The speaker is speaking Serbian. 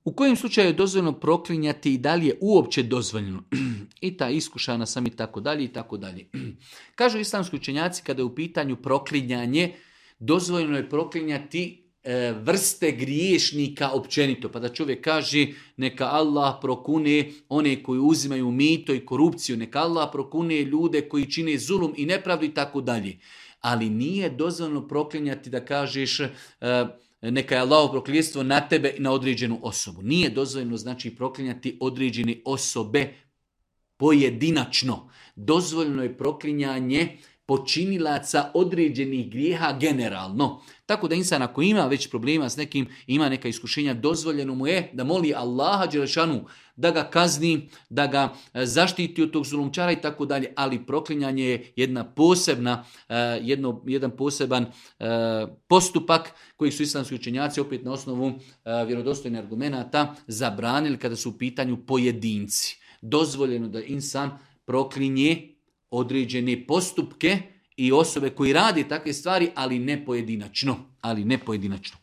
U kojem slučaju je dozvoljeno proklinjati i da li je uopće dozvoljeno? I ta iskušana sam i tako dalje i tako dalje. Kažu islamski učenjaci kada je u pitanju proklinjanje, dozvoljeno je proklinjati vrste griješnika općenito. Pa da čovjek kaže neka Allah prokune one koji uzimaju mito i korupciju, neka Allah prokune ljude koji čine zulum i nepravdu i tako dalje. Ali nije dozvoljeno proklinjati da kažeš neka je Allahovo prokljetstvo na tebe i na određenu osobu. Nije dozvoljeno znači proklinjati određene osobe pojedinačno. Dozvoljeno je proklinjanje počinilaca određenih grijeha generalno. Tako da insan ako ima već problema s nekim, ima neka iskušenja, dozvoljeno mu je da moli Allaha dželešanu da ga kazni, da ga zaštiti od tog zulumčara i tako dalje, ali proklinjanje je jedna posebna, jedan poseban postupak koji su islamski učenjaci opet na osnovu vjerodostojnih argumenata zabranili kada su u pitanju pojedinci. Dozvoljeno da insan proklinje određene postupke i osobe koji radi takve stvari, ali ne pojedinačno.